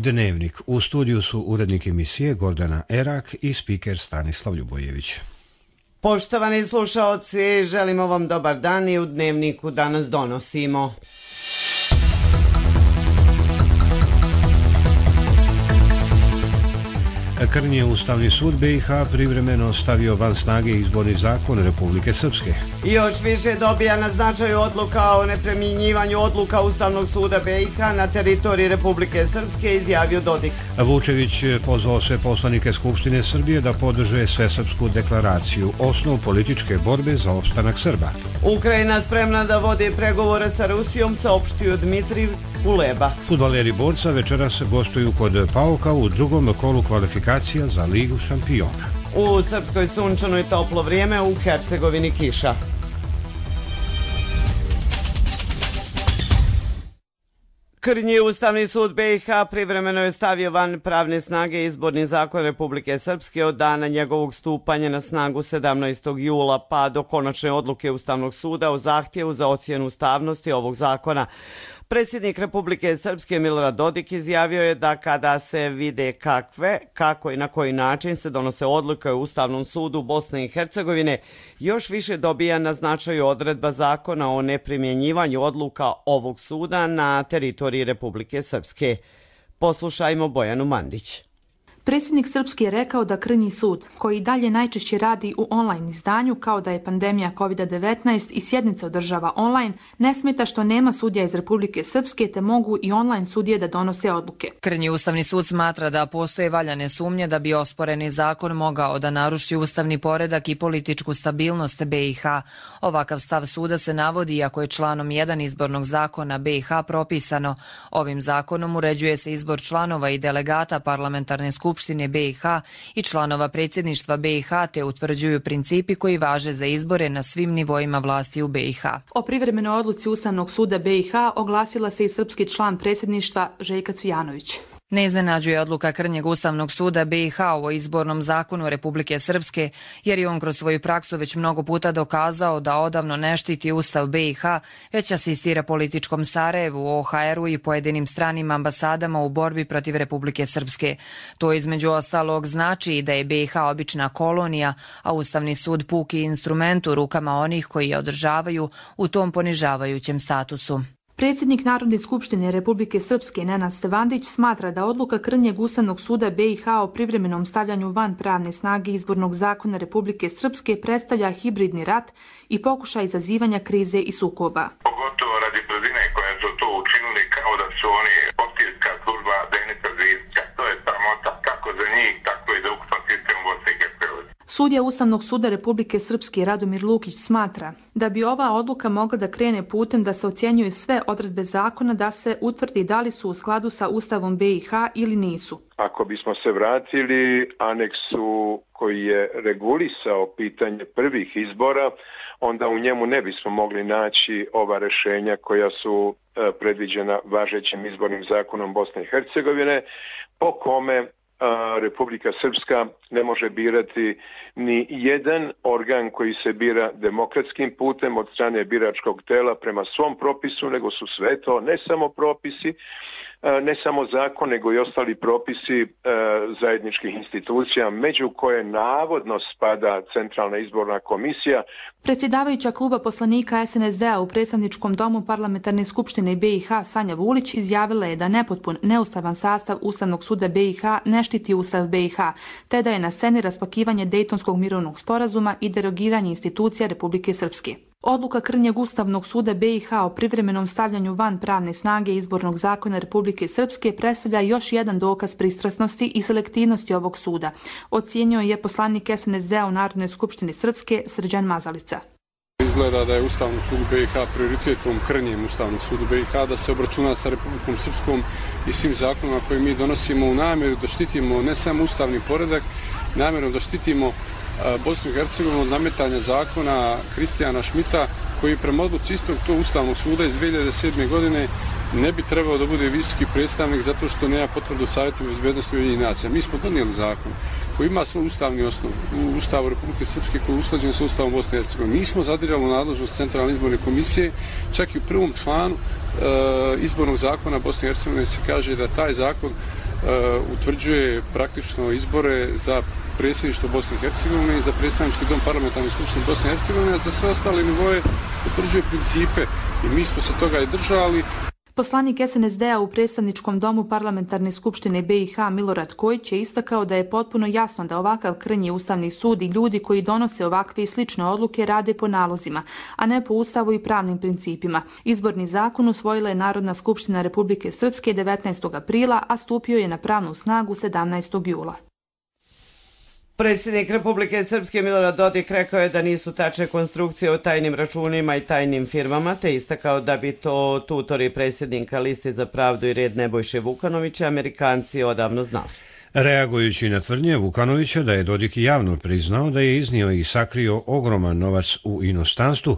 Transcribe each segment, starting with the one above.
Dnevnik. U studiju su urednik emisije Gordana Erak i spiker Stanislav Ljubojević. Poštovani slušaoci, želimo vam dobar dan i u Dnevniku danas donosimo. Krnji je Ustavni sud BiH privremeno stavio van snage izborni zakon Republike Srpske. Još više dobija na značaju odluka o neprimjenjivanju odluka Ustavnog suda BiH na teritoriji Republike Srpske, izjavio Dodik. Vučević pozvao sve poslanike Skupštine Srbije da podrže Svesrpsku deklaraciju, osnov političke borbe za opstanak Srba. Ukrajina spremna da vodi pregovore sa Rusijom, saopštio Dmitrij Kuleba. Fudbaleri Borca večeras gostuju kod Pauka u drugom kolu kvalifikacija za Ligu šampiona. U Srpskoj sunčano i toplo vrijeme, u Hercegovini kiša. Krnji Ustavni sud BiH privremeno je stavio van pravne snage izborni zakon Republike Srpske od dana njegovog stupanja na snagu 17. jula pa do konačne odluke Ustavnog suda o zahtjevu za ocjenu ustavnosti ovog zakona. Predsjednik Republike Srpske Milorad Dodik izjavio je da kada se vide kako i na koji način se donose odluke u Ustavnom sudu Bosne i Hercegovine, još više dobija na značaju odredba zakona o neprimjenjivanju odluka ovog suda na teritoriji Republike Srpske. Poslušajmo Bojanu Mandić. Predsjednik Srpske je rekao da Krnji sud, koji dalje najčešće radi u online izdanju kao da je pandemija COVID-19 i sjednice održava online, ne smeta što nema sudija iz Republike Srpske te mogu i online sudije da donose odluke. Krnji Ustavni sud smatra da postoje valjane sumnje da bi osporeni zakon mogao da naruši ustavni poredak i političku stabilnost BiH. Ovakav stav suda se navodi iako je članom 1 izbornog zakona BiH propisano. Ovim zakonom uređuje se izbor članova i delegata parlamentarne skupštine BiH i članova predsjedništva BiH te utvrđuju principi koji važe za izbore na svim nivoima vlasti u BiH. O privremenoj odluci Ustavnog suda BiH oglasila se i srpski član predsjedništva Željka Cvijanović. Ne iznenađuje odluka Krnjeg Ustavnog suda BiH o izbornom zakonu Republike Srpske, jer je on kroz svoju praksu već mnogo puta dokazao da odavno ne štiti Ustav BiH, već asistira političkom Sarajevu, OHR-u i pojedinim stranim ambasadama u borbi protiv Republike Srpske. To između ostalog znači da je BiH obična kolonija, a Ustavni sud puki instrument u rukama onih koji je održavaju u tom ponižavajućem statusu. Predsjednik Narodne skupštine Republike Srpske Nenad Stevandić smatra da odluka Krnjeg Ustavnog suda BiH o privremenom stavljanju van pravne snage izbornog zakona Republike Srpske predstavlja hibridni rat i pokušaj izazivanja krize i sukoba. Pogotovo radi brzine koje su to učinili kao da su oni opcijska služba Denisa Zvijeća. To je sramota kako za njih, tako i za ukupan sistem Bosne i Hercegovine. Sudija Ustavnog suda Republike Srpske Radomir Lukić smatra da bi ova odluka mogla da krene putem da se ocjenjuju sve odredbe zakona da se utvrdi da li su u skladu sa Ustavom BiH ili nisu. Ako bismo se vratili aneksu koji je regulisao pitanje prvih izbora, onda u njemu ne bismo mogli naći ova rješenja koja su predviđena važećim izbornim zakonom Bosne i Hercegovine, po kome Republika Srpska ne može birati ni jedan organ koji se bira demokratskim putem od strane biračkog tela prema svom propisu, nego su sve to ne samo propisi, ne samo zakon, nego i ostali propisi zajedničkih institucija, među koje navodno spada Centralna izborna komisija. Predsjedavajuća kluba poslanika SNSD-a u predstavničkom domu Parlamentarne skupštine BiH Sanja Vulić izjavila je da nepotpun, neustavan sastav Ustavnog suda BiH ne štiti Ustav BiH, te da je na sceni raspakivanje Dejtonskog mirovnog sporazuma i derogiranje institucija Republike Srpske. Odluka Krnjeg Ustavnog suda BiH o privremenom stavljanju van pravne snage izbornog zakona Republike Srpske predstavlja još jedan dokaz pristrasnosti i selektivnosti ovog suda, ocijenio je poslanik SNSD-a u Narodnoj skupštini Srpske Srđan Mazalica. Izgleda da je Ustavni sud BiH prioritetom Krnjem Ustavnog sudu BiH da se obračuna sa Republikom Srpskom i svim zakonima koje mi donosimo u namjeru da štitimo ne samo ustavni poredak, namjerom da štitimo Bosnu i Hercegovinu od nametanja zakona Kristijana Šmita, koji prema odluci istog tog Ustavnog suda iz 2007. godine ne bi trebao da bude visoki predstavnik zato što nema potvrdu Savjeta bezbednosti Ujedinjenih nacija. Mi smo donijeli zakon koji ima svoj ustavni osnov u Ustavu Republike Srpske koji je usklađen sa Ustavom Bosne i Hercegovine. Nismo zadirali u nadležnost Centralne izborne komisije, čak i u prvom članu izbornog zakona Bosne i Hercegovine se kaže da taj zakon utvrđuje praktično izbore za predsjedništvo Bosne i Hercegovine i za predstavnički dom parlamentarne skupštine Bosne i Hercegovine, a za sve ostale nivoje utvrđuje principe i mi smo se toga i držali. Poslanik SNSD-a u predstavničkom domu parlamentarne skupštine BiH Milorad Kojić je istakao da je potpuno jasno da ovakav krnji Ustavni sud i ljudi koji donose ovakve i slične odluke rade po nalozima, a ne po Ustavu i pravnim principima. Izborni zakon usvojila je Narodna skupština Republike Srpske 19. aprila, a stupio je na pravnu snagu 17. jula. Predsjednik Republike Srpske Milorad Dodik rekao je da nisu tačne konstrukcije o tajnim računima i tajnim firmama, te istakao da bi to tutori predsjednika Liste za pravdu i red Nebojše Vukanovića Amerikanci odavno znali. Reagujući na tvrdnje Vukanovića da je Dodik javno priznao da je iznio i sakrio ogroman novac u inostranstvu,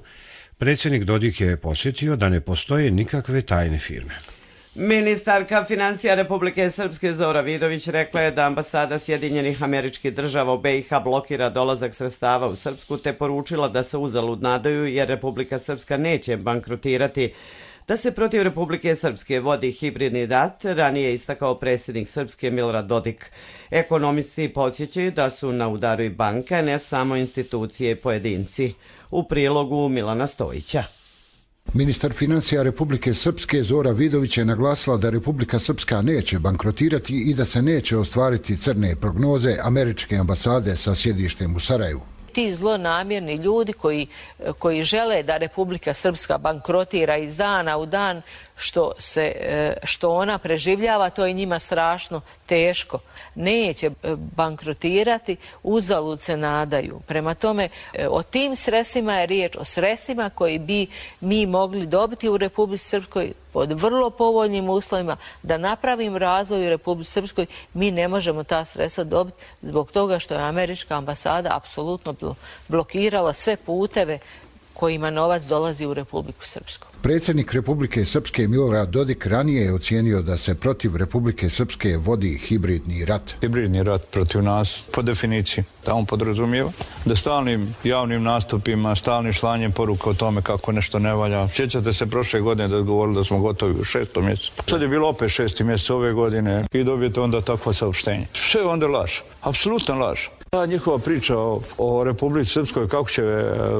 predsjednik Dodik je podsjetio da ne postoje nikakve tajne firme. Ministarka financija Republike Srpske Zora Vidović rekla je da ambasada Sjedinjenih Američkih Država u BiH blokira dolazak sredstava u Srpsku, te poručila da se uzalud nadaju jer Republika Srpska neće bankrotirati. Da se protiv Republike Srpske vodi hibridni rat, ranije istakao predsjednik Srpske Milorad Dodik. Ekonomisti podsjećaju da su na udaru i banka, ne samo institucije i pojedinci. U prilogu Milana Stojića. Ministar financija Republike Srpske Zora Vidović je naglasila da Republika Srpska neće bankrotirati i da se neće ostvariti crne prognoze američke ambasade sa sjedištem u Sarajevu. Ti zlonamjerni ljudi koji žele da Republika Srpska bankrotira iz dana u dan što ona preživljava, to je njima strašno teško. Neće bankrotirati, uzalud se nadaju. Prema tome, o tim sredstvima je riječ, o sredstvima koji bi mi mogli dobiti u Republici Srpskoj pod vrlo povoljnim uslovima, da napravim razvoj u Republici Srpskoj. Mi ne možemo ta sredstva dobiti zbog toga što je američka ambasada apsolutno blokirala sve puteve kojima novac dolazi u Republiku Srpsku. Predsjednik Republike Srpske Milorad Dodik ranije je ocijenio da se protiv Republike Srpske vodi hibridni rat. Hibridni rat protiv nas, po definiciji, tamo podrazumijeva da stalnim javnim nastupima, stalnim slanjem poruka o tome kako nešto ne valja. Sjećate se prošle godine da je govorili da smo gotovi u 6. mjesecu. Sad je bilo opet 6. mjesec ove godine i dobijete onda takvo saopštenje. Sve je onda laž, apsolutno laž. Ta njihova priča o Republici Srpskoj kako će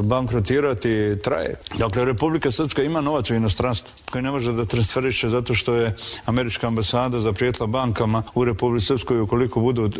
bankrotirati traje. Dakle, Republika Srpska ima novac u inostranstvu koji ne može da transferiše zato što je američka ambasada zaprijetila bankama u Republici Srpskoj ukoliko budu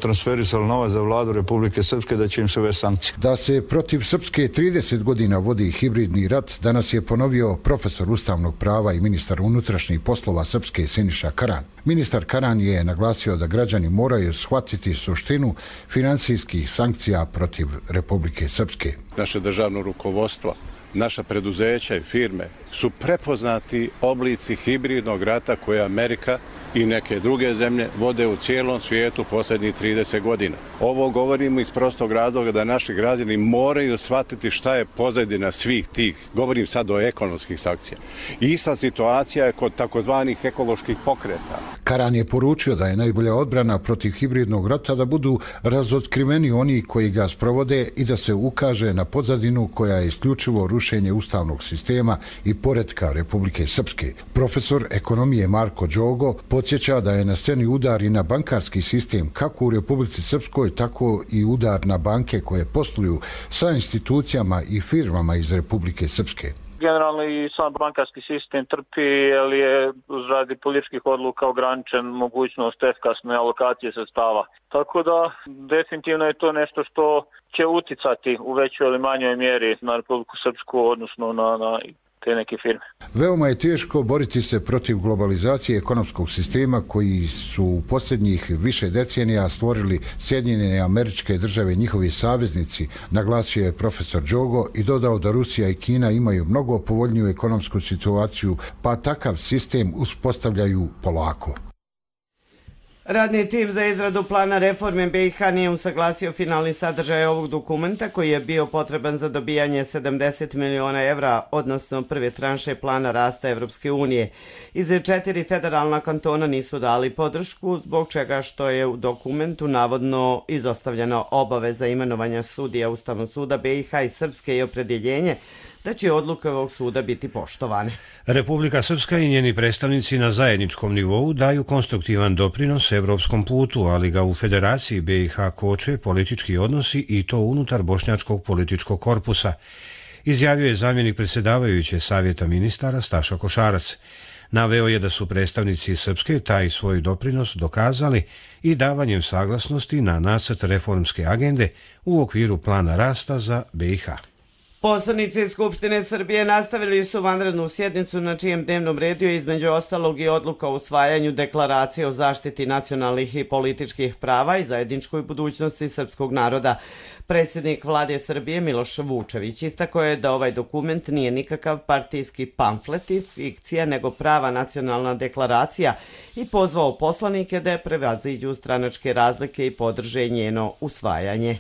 transferisali novac za vladu Republike Srpske da će im se uvesti sankcije. Da se protiv Srpske 30 godina vodi hibridni rat, danas je ponovio profesor ustavnog prava i ministar unutrašnjih poslova Srpske Siniša Karan. Ministar Karan je naglasio da građani moraju shvatiti suštinu finansijskih sankcija protiv Republike Srpske. Naše državno rukovodstvo, naša preduzeća i firme su prepoznati oblici hibridnog rata koje Amerika i neke druge zemlje vode u cijelom svijetu posljednjih 30 godina. Ovo govorimo iz prostog razloga da naši građani moraju shvatiti šta je pozadina svih tih, govorim sad o ekonomskih sankcija. Ista situacija je kod takozvanih ekoloških pokreta. Karan je poručio da je najbolja odbrana protiv hibridnog rata da budu razotkriveni oni koji ga sprovode i da se ukaže na pozadinu koja je isključivo rušenje ustavnog sistema i poretka Republike Srpske. Profesor ekonomije Marko Đogo podsjeća da je na sceni udar i na bankarski sistem kako u Republici Srpskoj, tako i udar na banke koje posluju sa institucijama i firmama iz Republike Srpske. Generalno i sam bankarski sistem trpi jer je radi političkih odluka ograničen mogućnost efikasne alokacije sredstava. Tako da definitivno je to nešto što će uticati u većoj ili manjoj mjeri na Republiku Srpsku, odnosno na te neke firme. Veoma je teško boriti se protiv globalizacije ekonomskog sistema koji su u posljednjih više decenija stvorili Sjedinjene Američke Države i njihovi saveznici, naglasio je profesor Đogo i dodao da Rusija i Kina imaju mnogo povoljniju ekonomsku situaciju, pa takav sistem uspostavljaju polako. Radni tim za izradu plana reforme BiH nije usaglasio finalni sadržaj ovog dokumenta koji je bio potreban za dobijanje 70 miliona evra, odnosno prve tranše plana rasta Evropske unije. Iz 4 federalna kantona nisu dali podršku, zbog čega što je u dokumentu navodno izostavljena obaveza imenovanja sudija Ustavnog suda BiH i Srpske i opredjeljenje da će odluke ovog suda biti poštovane. Republika Srpska i njeni predstavnici na zajedničkom nivou daju konstruktivan doprinos evropskom putu, ali ga u Federaciji BiH koče politički odnosi i to unutar bošnjačkog političkog korpusa, izjavio je zamjenik predsjedavajuće Savjeta ministara Staša Košarac. Naveo je da su predstavnici Srpske taj svoj doprinos dokazali i davanjem saglasnosti na nacrt reformske agende u okviru plana rasta za BiH. Poslanici Skupštine Srbije nastavili su vanrednu sjednicu na čijem dnevnom redu je između ostalog i odluka o usvajanju deklaracije o zaštiti nacionalnih i političkih prava i zajedničkoj budućnosti srpskog naroda. Predsjednik vlade Srbije Miloš Vučević istakao je da ovaj dokument nije nikakav partijski pamflet i fikcija, nego prava nacionalna deklaracija i pozvao poslanike da je prevaziđu stranačke razlike i podrže njeno usvajanje.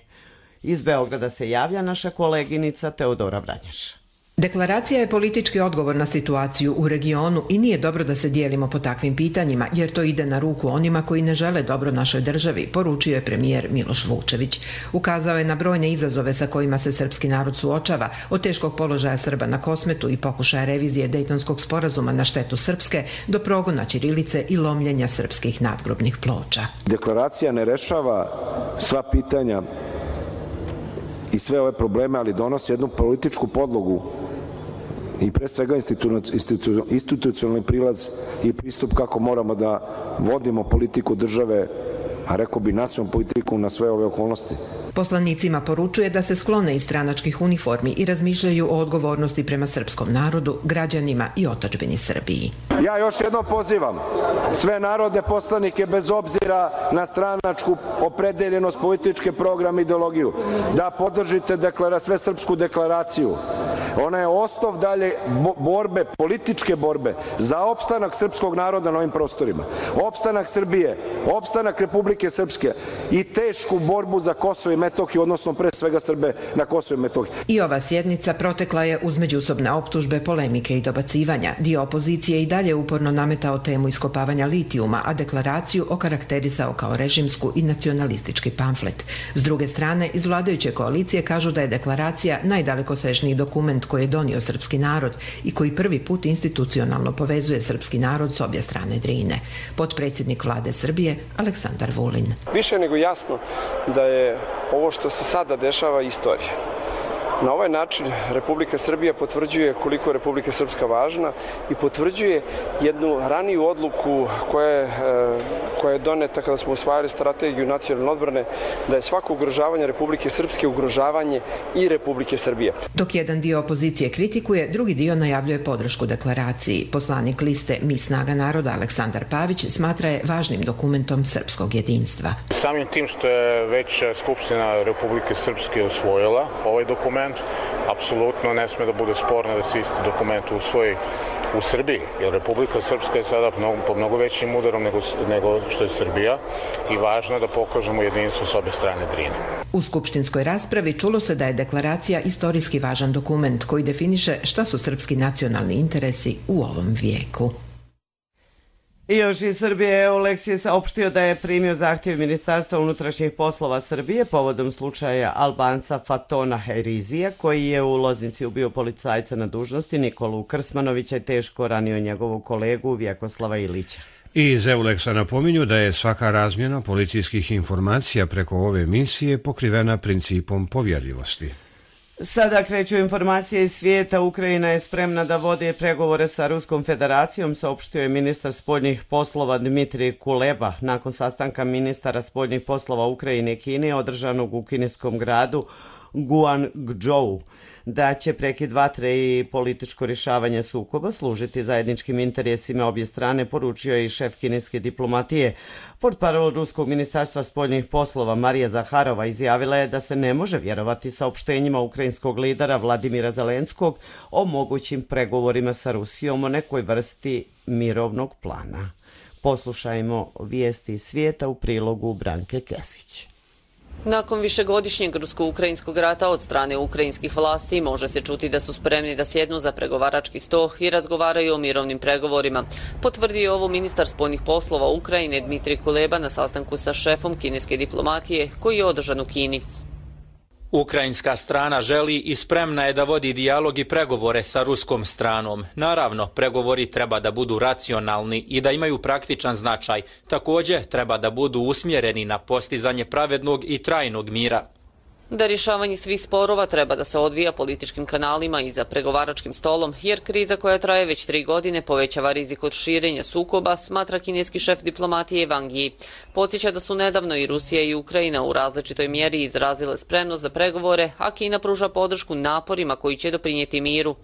Iz Beograda se javlja naša koleginica Teodora Vranjaš. Deklaracija je politički odgovor na situaciju u regionu i nije dobro da se dijelimo po takvim pitanjima, jer to ide na ruku onima koji ne žele dobro našoj državi, poručio je premijer Miloš Vučević. Ukazao je na brojne izazove sa kojima se srpski narod suočava, od teškog položaja Srba na Kosmetu i pokušaja revizije Dejtonskog sporazuma na štetu Srpske do progona ćirilice i lomljenja srpskih nadgrobnih ploča. Deklaracija ne rešava sva pitanja i sve ove probleme, ali donosi jednu političku podlogu i pre svega institucionalni prilaz i pristup kako moramo da vodimo politiku države, a rekao bi nacionalnu politiku na sve ove okolnosti. Poslanicima poručuje da se sklone iz stranačkih uniformi i razmišljaju o odgovornosti prema srpskom narodu, građanima i otadžbini Srbiji. Ja još jednom pozivam sve narodne poslanike bez obzira na stranačku opredeljenost, političke program, ideologiju, da podržite svesrpsku deklaraciju. Ona je osnov dalje borbe, političke borbe za opstanak srpskog naroda na ovim prostorima. Opstanak Srbije, opstanak Republike Srpske i tešku borbu za Kosovo i Metohiju, odnosno pre svega Srbe na Kosovo i Metohiji. I ova sjednica protekla je uz međusobne optužbe, polemike i dobacivanja. Dio opozicije i dalje uporno nametao temu iskopavanja litijuma, a deklaraciju okarakterisao kao režimsku i nacionalistički pamflet. S druge strane, iz vladajuće koalicije kažu da je deklaracija najdalekosežniji dokument koji je donio srpski narod i koji prvi put institucionalno povezuje srpski narod s obje strane Drine. Potpredsjednik vlade Srbije Aleksandar Vulin. Više nego jasno da je ovo što se sada dešava istorija. Na ovaj način Republika Srbija potvrđuje koliko je Republika Srpska važna i potvrđuje jednu raniju odluku koja je doneta kada smo usvajali strategiju nacionalne odbrane, da je svako ugrožavanje Republike Srpske ugrožavanje i Republike Srbije. Dok jedan dio opozicije kritikuje, drugi dio najavljuje podršku deklaraciji. Poslanik liste Mi snaga naroda Aleksandar Pavić smatra je važnim dokumentom srpskog jedinstva. Samim tim što je već Skupština Republike Srpske usvojila ovaj dokument, apsolutno ne sme da bude sporno da se isti dokument usvoji u Srbiji, jer Republika Srpska je sada po mnogo većim udarom nego što je Srbija i važno je da pokažemo jedinstvo s obje strane Drine. U skupštinskoj raspravi čulo se da je deklaracija istorijski važan dokument koji definiše šta su srpski nacionalni interesi u ovom vijeku. I još iz Srbije EULEX je saopštio da je primio zahtjev Ministarstva unutrašnjih poslova Srbije povodom slučaja Albanca Fatona Herizija, koji je u Loznici ubio policajca na dužnosti Nikolu Krsmanovića i teško ranio njegovog kolegu Vjekoslava Ilića. I iz EULEX-a napominju da je svaka razmjena policijskih informacija preko ove misije pokrivena principom povjerljivosti. Sada kreću informacije iz svijeta. Ukrajina je spremna da vodi pregovore sa Ruskom federacijom, saopštio je ministar spoljnih poslova Dmitrij Kuleba nakon sastanka ministara spoljnih poslova Ukrajine i Kine održanog u kineskom gradu Guangzhou. Da će prekid vatre i političko rješavanje sukoba služiti zajedničkim interesima obje strane, poručio je i šef kineske diplomatije. Portparol Ruskog ministarstva spoljnih poslova Marija Zaharova izjavila je da se ne može vjerovati saopštenjima ukrajinskog lidera Vladimira Zelenskog o mogućim pregovorima sa Rusijom o nekoj vrsti mirovnog plana. Poslušajmo vijesti iz svijeta u prilogu Branke Kesić. Nakon višegodišnjeg rusko-ukrajinskog rata od strane ukrajinskih vlasti može se čuti da su spremni da sjednu za pregovarački sto i razgovaraju o mirovnim pregovorima. Potvrdio je ovo ministar spoljnih poslova Ukrajine Dmitrij Kuleba na sastanku sa šefom kineske diplomatije koji je održan u Kini. Ukrajinska strana želi i spremna je da vodi dijalog i pregovore sa ruskom stranom. Naravno, pregovori treba da budu racionalni i da imaju praktičan značaj. Također, treba da budu usmjereni na postizanje pravednog i trajnog mira. Da rješavanje svih sporova treba da se odvija političkim kanalima i za pregovaračkim stolom, jer kriza koja traje već 3 godine povećava rizik od širenja sukoba, smatra kineski šef diplomatije Wang Yi. Podsjeća da su nedavno i Rusija i Ukrajina u različitoj mjeri izrazile spremnost za pregovore, a Kina pruža podršku naporima koji će doprinijeti miru.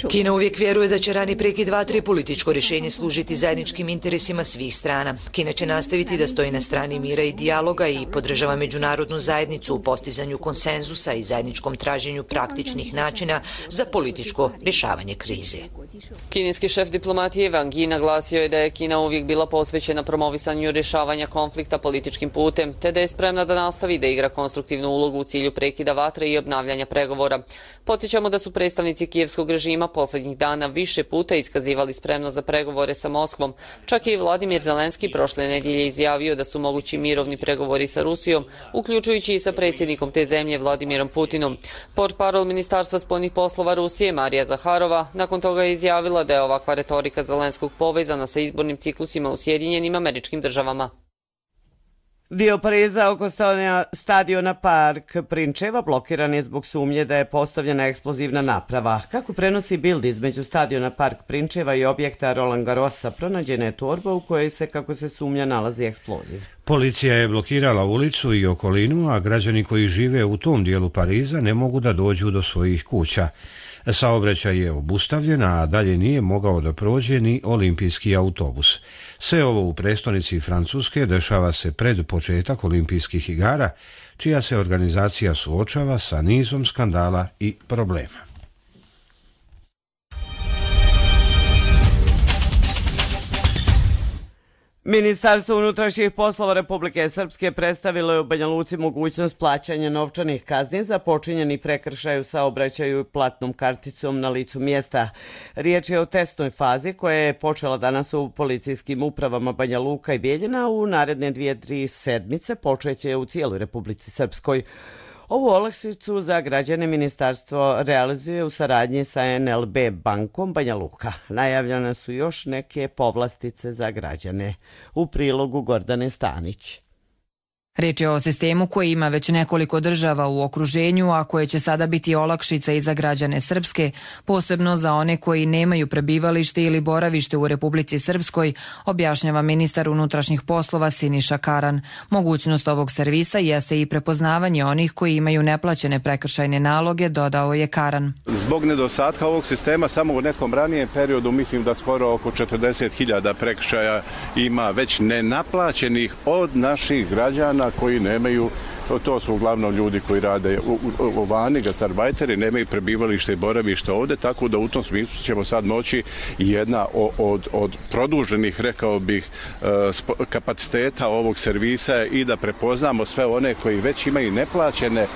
Kina uvijek vjeruje da će rani prekid vatre političko rješenje služiti zajedničkim interesima svih strana. Kina će nastaviti da stoji na strani mira i dijaloga i podržava međunarodnu zajednicu u postizanju konsenzusa i zajedničkom traženju praktičnih načina za političko rješavanje krize. Kineski šef diplomatije Wang Yi naglasio je da je Kina uvijek bila posvećena promovisanju rješavanja konflikta političkim putem, te da je spremna da nastavi da igra konstruktivnu ulogu u cilju prekida vatre i obnavljanja pregovora. Podsjećamo da su predstavnici kijevskog režima posljednjih dana više puta iskazivali spremnost za pregovore sa Moskvom. Čak je i Vladimir Zelenski prošle nedjelje izjavio da su mogući mirovni pregovori sa Rusijom, uključujući i sa predsjednikom te zemlje Vladimirom Putinom. Portparol Ministarstva spoljnih poslova Rusije Marija Zaharova nakon toga je izjavila da je ovakva retorika Zelenskog povezana sa izbornim ciklusima u Sjedinjenim Američkim Državama. Dio Pariza oko stadiona Park Prinčeva blokiran je zbog sumnje da je postavljena eksplozivna naprava. Kako prenosi Bild, između stadiona Park Prinčeva i objekta Roland Garrosa pronađena je torba u kojoj se, kako se sumnja, nalazi eksploziv. Policija je blokirala ulicu i okolinu, a građani koji žive u tom dijelu Pariza ne mogu da dođu do svojih kuća. Saobraćaj je obustavljen, a dalje nije mogao da prođe ni olimpijski autobus. Sve ovo u prestonici Francuske dešava se pred početak olimpijskih igara, čija se organizacija suočava sa nizom skandala i problema. Ministarstvo unutrašnjih poslova Republike Srpske predstavilo je u Banja Luci mogućnost plaćanja novčanih kazni za počinjeni prekršaj u saobraćaju platnom karticom na licu mjesta. Riječ je o testnoj fazi koja je počela danas u policijskim upravama Banja Luka i Bijeljina. U naredne 2-3 sedmice počeće u cijeloj Republici Srpskoj. Ovu olakšicu za građane ministarstvo realizuje u saradnji sa NLB bankom Banja Luka. Najavljene su još neke povlastice za građane. U prilogu Gordane Stanić. Riječ je o sistemu koji ima već nekoliko država u okruženju, a koje će sada biti olakšica i za građane Srpske, posebno za one koji nemaju prebivalište ili boravište u Republici Srpskoj, objašnjava ministar unutrašnjih poslova Siniša Karan. Mogućnost ovog servisa jeste i prepoznavanje onih koji imaju neplaćene prekršajne naloge, dodao je Karan. Zbog nedostatka ovog sistema samo u nekom ranijem periodu mislim da skoro oko 40.000 prekršaja ima već nenaplaćenih od naših građana koji nemaju, to su uglavnom ljudi koji rade u vani, gastarbajteri, nemaju prebivalište i boravište ovdje, tako da u tom smislu ćemo sad moći jedna od produženih, rekao bih, kapaciteta ovog servisa i da prepoznamo sve one koji već imaju neplaćene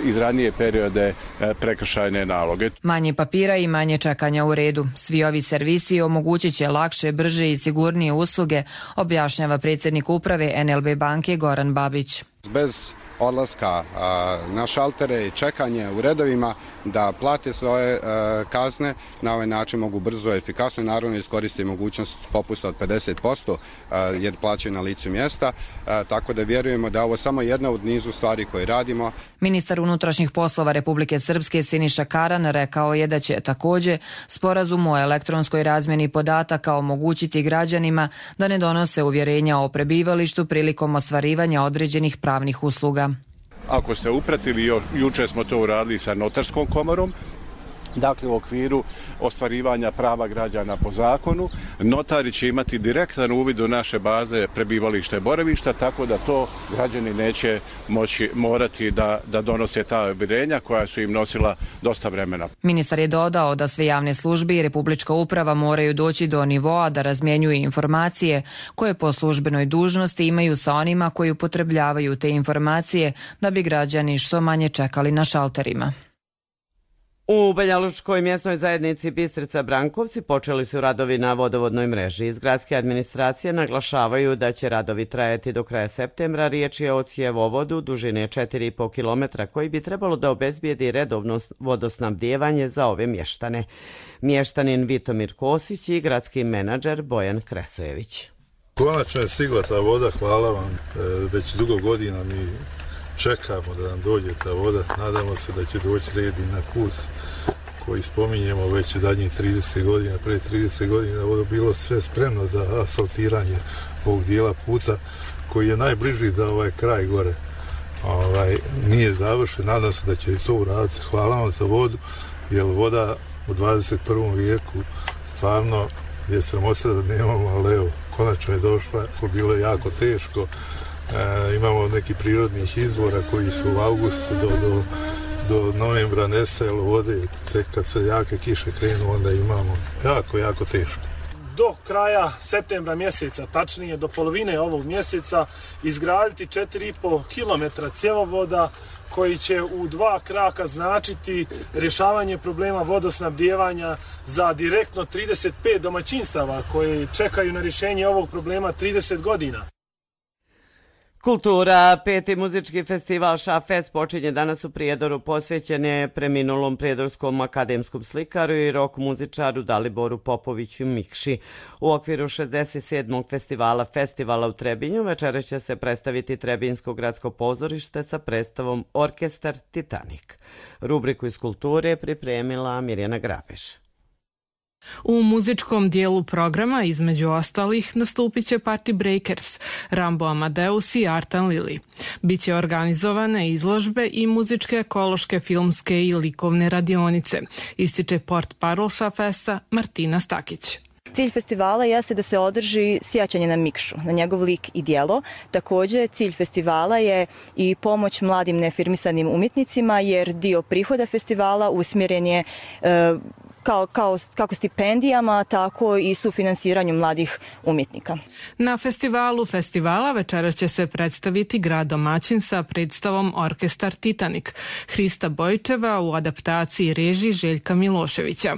iz ranije periode prekršajne naloge. Manje papira i manje čekanja u redu. Svi ovi servisi omogućit će lakše, brže i sigurnije usluge, objašnjava predsjednik uprave NLB banke Goran Babić. Bez odlaska na šaltere i čekanje u redovima da plate svoje kazne, na ovaj način mogu brzo i efikasno naravno iskoristiti mogućnost popusta od 50% jer plaćaju na licu mjesta, tako da vjerujemo da ovo samo jedna od nizu stvari koje radimo. Ministar unutrašnjih poslova Republike Srpske Siniša Karan rekao je da će također sporazum o elektronskoj razmjeni podataka omogućiti građanima da ne donose uvjerenja o prebivalištu prilikom ostvarivanja određenih pravnih usluga. Ako ste upratili, juče smo to uradili sa notarskom komorom, dakle u okviru ostvarivanja prava građana po zakonu. Notari će imati direktan uvid u naše baze prebivališta i boravišta, tako da to građani neće morati da donose ta uvjerenja koja su im nosila dosta vremena. Ministar je dodao da sve javne službe i Republička uprava moraju doći do nivoa da razmjenjuju informacije koje po službenoj dužnosti imaju sa onima koji upotrebljavaju te informacije da bi građani što manje čekali na šalterima. U Banjalučkoj mjesnoj zajednici Bistrica Brankovci počeli su radovi na vodovodnoj mreži. Iz gradske administracije naglašavaju da će radovi trajati do kraja septembra. Riječ je o cjevovodu dužine 4,5 km koji bi trebalo da obezbijedi redovno vodosnabdijevanje za ove mještane. Mještanin Vitomir Kosić i gradski menadžer Bojan Kresojević. Konačno je stigla ta voda, hvala vam. Već dugo godina mi čekamo da nam dođe ta voda. Nadamo se da će doći red i na put koji spominjemo već zadnjih 30 godina. Pre 30 godina vodo bilo sve spremno za asfaltiranje ovog dijela puta koji je najbliži za ovaj kraj gore. Nije završen, nadam se da će i to uraditi. Hvala vam za vodu, jer voda u 21. vijeku stvarno je sramota da nemamo, ali evo, konačno je došla, bilo je jako teško. Imamo neki prirodnih izvora koji su u avgustu do novembra nestajalo vode, tek kad se jake kiše krenu, onda imamo jako teško. Do kraja septembra mjeseca, tačnije do polovine ovog mjeseca, izgraditi 4,5 km cjevovoda koji će u 2 kraka značiti rješavanje problema vodosnabdijevanja za direktno 35 domaćinstava koji čekaju na rješenje ovog problema 30 godina. Kultura, 5. muzički festival Šafest počinje danas u Prijedoru, posvećen je preminulom prijedorskom akademskom slikaru i rock muzičaru Daliboru Popoviću Mikši. U okviru 67. festivala u Trebinju večeras će se predstaviti Trebinjsko gradsko pozorište sa predstavom Orkestar Titanik. Rubriku iz kulture pripremila Mirjana Grabeš. U muzičkom dijelu programa, između ostalih, nastupit će Party Breakers, Rambo Amadeus i Artan Lili. Biće organizovane izložbe i muzičke, ekološke, filmske i likovne radionice, ističe portparol Šafesta Martina Stakić. Cilj festivala jeste da se održi sjećanje na Mikšu, na njegov lik i dijelo. Također, cilj festivala je i pomoć mladim neafirmisanim umjetnicima, jer dio prihoda festivala usmjeren je kako stipendijama, tako i sufinansiranju mladih umjetnika. Na festivalu festivala večeras će se predstaviti grad domaćin sa predstavom Orkestar Titanik Hrista Bojčeva u adaptaciji režiji Željka Miloševića.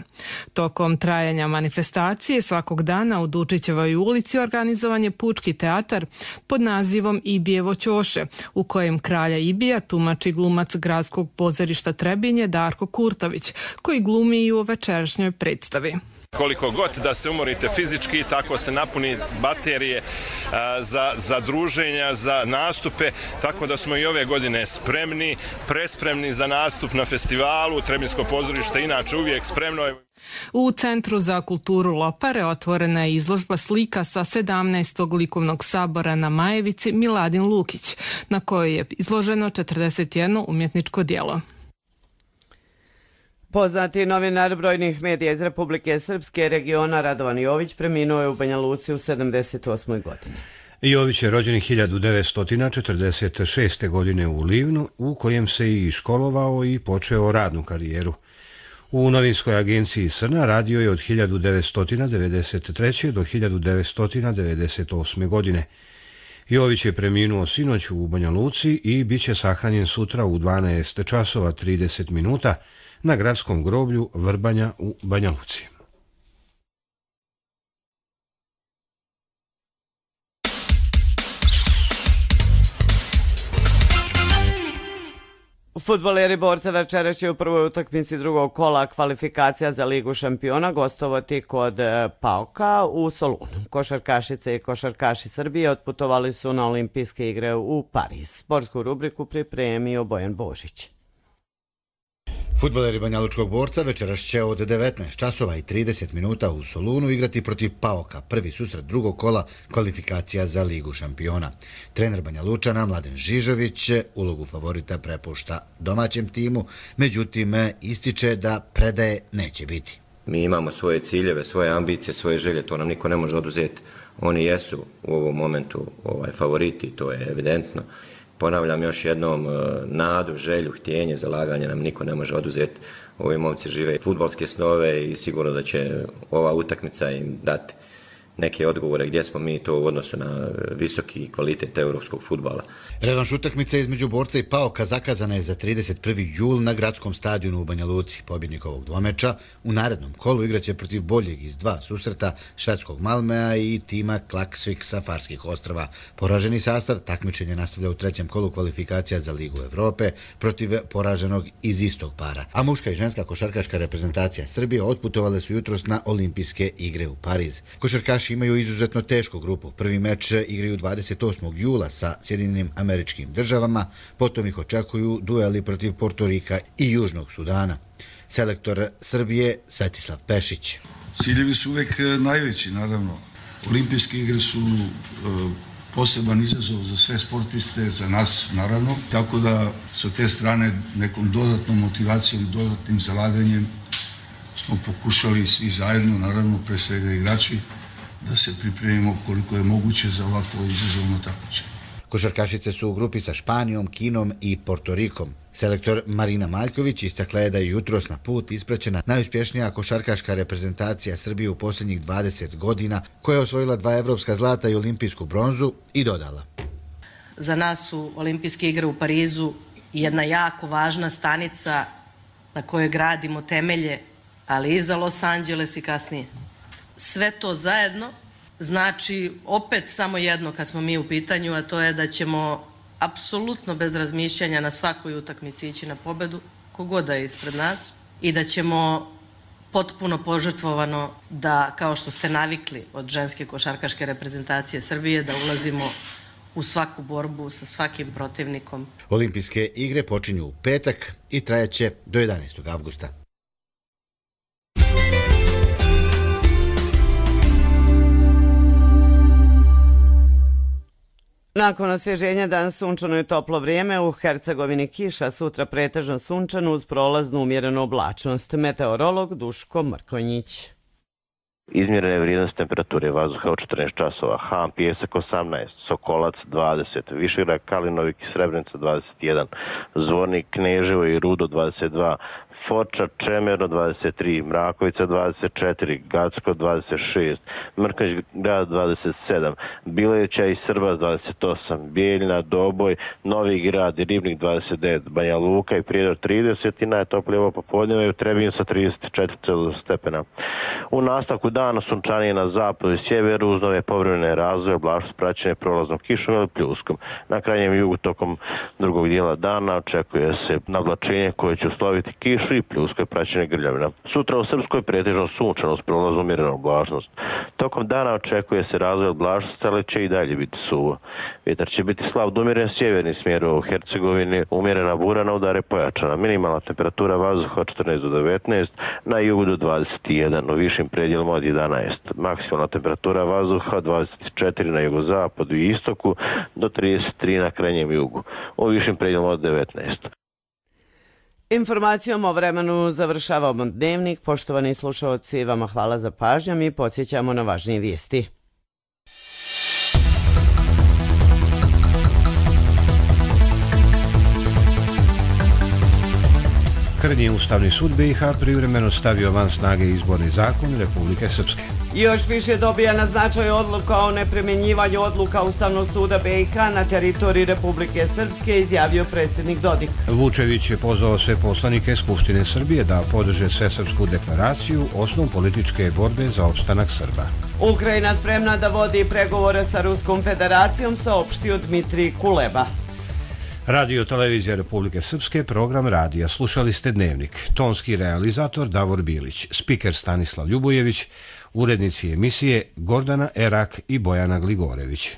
Tokom trajanja manifestacije svakog dana u Dučićevoj ulici organizovan je pučki teatar pod nazivom Ibijevo ćoše, u kojem kralja Ibija tumači glumac gradskog pozorišta Trebinje Darko Kurtović, koji glumi i u večerašnjoj predstavi. Koliko god da se umorite fizički, tako se napuni baterije za druženja, za nastupe, tako da smo i ove godine spremni, prespremni za nastup na festivalu. Trebinjsko pozorište inače uvijek spremno. U Centru za kulturu Lopare otvorena je izložba slika sa 17. likovnog sabora na Majevici Miladin Lukić, na kojoj je izloženo 41 umjetničko djelo. Poznati novinar brojnih medija iz Republike Srpske regiona Radovan Jović preminuo je u Banja Luci u 78. godini. Jović je rođen 1946. godine u Livnu, u kojem se i školovao i počeo radnu karijeru. U novinskoj agenciji Srna radio je od 1993. do 1998. godine. Jović je preminuo sinoć u Banja Luci i bit će sahranjen sutra u 12 časova 30 minuta na gradskom groblju Vrbanja u Banja Luci. Fudbaleri Borca večeras će u prvoj utakmici drugog kola kvalifikacija za Ligu šampiona gostovati kod PAOK-a u Solunu. Košarkašice i košarkaši Srbije otputovali su na olimpijske igre u Pariz. Sportsku rubriku pripremio Bojan Božić. Fudbaleri Banjalučkog Borca večeras će od 19 časova i 30 minuta u Solunu igrati protiv PAOK-a, prvi susret drugog kola kvalifikacija za Ligu šampiona. Trener Banjalučana Mladen Žižović ulogu favorita prepušta domaćem timu, međutim ističe da predaje neće biti. Mi imamo svoje ciljeve, svoje ambicije, svoje želje, to nam niko ne može oduzeti. Oni jesu u ovom momentu favoriti, to je evidentno. Ponavljam još jednom, nadu, želju, htjenje, zalaganje nam niko ne može oduzeti. Ovi momci žive fudbalske snove i sigurno da će ova utakmica im dati neke odgovore gdje smo mi to u odnosu na visoki kvalitet europskog fudbala. Revanš utakmice između Borca i Paoka zakazana je za 31. jul na gradskom stadionu u Banja Luci. Pobjednik ovog dvomeča u narednom kolu igraće protiv boljeg iz dva susreta švedskog Malmea i tima Klaksvik sa Farskih ostrava. Poraženi sastav takmičenje nastavlja u trećem kolu kvalifikacija za Ligu Evrope protiv poraženog iz istog para. A muška i ženska košarkaška reprezentacija Srbije otputovale su jutros na olimpijske igre u Pariz. Košarkaši imaju izuzetno tešku grupu. Prvi meč igraju 28. jula sa Sjedinjenim Američkim Državama, potom ih očekuju dueli protiv Portorika i Južnog Sudana. Selektor Srbije Svetislav Pešić. Ciljevi su uvek najveći, naravno. Olimpijske igre su poseban izazov za sve sportiste, za nas naravno, tako da sa te strane nekom dodatnom motivacijom i dodatnim zalaganjem smo pokušali svi zajedno, naravno pre svega igrači, da se pripremimo koliko je moguće za ovako izazovno takmičenje. Košarkašice su u grupi sa Španijom, Kinom i Portorikom. Selektor Marina Maljković istakla je da je jutros na put ispraćena najuspješnija košarkaška reprezentacija Srbije u posljednjih 20 godina, koja je osvojila 2 evropska zlata i olimpijsku bronzu, i dodala. Za nas su olimpijske igre u Parizu jedna jako važna stanica na kojoj gradimo temelje, ali i za Los Angeles i kasnije. Sve to zajedno znači opet samo jedno kad smo mi u pitanju, a to je da ćemo apsolutno bez razmišljanja na svakoj utakmici ići na pobedu, kogoda je ispred nas, i da ćemo potpuno požrtvovano da, kao što ste navikli od ženske košarkaške reprezentacije Srbije, da ulazimo u svaku borbu sa svakim protivnikom. Olimpijske igre počinju u petak i trajaće do 11. avgusta. Nakon osvježenja danas sunčano i toplo vrijeme, u Hercegovini kiša, sutra pretežno sunčano uz prolaznu umjerenu oblačnost. Meteorolog Duško Mrkonjić. Izmjerene vrijednosti temperature vazduha u 14 časova. Han, Pijesak 18, Sokolac 20, Višegrad, Kalinovik i Srebrenica 21, Zvornik, Kneževo i Rudo 22, Foča, Čemerno 23, Mrakovica 24, Gacko 26, Mrkonjić grad 27, Bileća i Srbas 28, Bijeljina, Doboj, Novi grad i Ribnik 29, Banja Luka i Prijedor 30 i najtoplije ovo popodne u Trebinju sa 34 stepena. U nastavku dana sunčanije na zapadu i sjeveru uz nove povremene razvoje, oblačnost praćene prolaznom kišom ili pljuskom. Na krajnjem jugu tokom drugog dijela dana očekuje se navlačenje koje će usloviti kišu i pljusko je praćene grljavina. Sutra u Srpskoj pretežno sunčano s prolazom umjerenu oblačnost. Tokom dana očekuje se razvoj oblačnosti, ali će i dalje biti suvo. Vjetar će biti slab do umjeren sjeverni smjer u Hercegovini, umjerena bura na udare pojačana. Minimalna temperatura vazduha od 14 do 19, na jugu do 21, u višim predjelima od 11. Maksimalna temperatura vazduha od 24 na jugozapadu i istoku do 33 na krajnjem jugu, u višim predjelima od 19. Informacijom o vremenu završavamo dnevnik. Poštovani slušalci, vama hvala za pažnju. Mi podsjećamo na važnije vijesti. Krnji Ustavni sud BiH privremeno stavio van snage izborni zakon Republike Srpske. Još više dobija na značaju odluka o neprimjenjivanju odluka Ustavnog suda BiH na teritoriji Republike Srpske, izjavio predsjednik Dodik. Vučević je pozvao sve poslanike Skupštine Srbije da podrže Svesrpsku deklaraciju, osnov političke borbe za opstanak Srba. Ukrajina spremna da vodi pregovore sa Ruskom federacijom, saopštio Dmitrij Kuleba. Radio Televizija Republike Srpske, program radija. Slušali ste Dnevnik. Tonski realizator Davor Bilić, spiker Stanislav Ljubojević, urednici emisije Gordana Erak i Bojana Gligorević.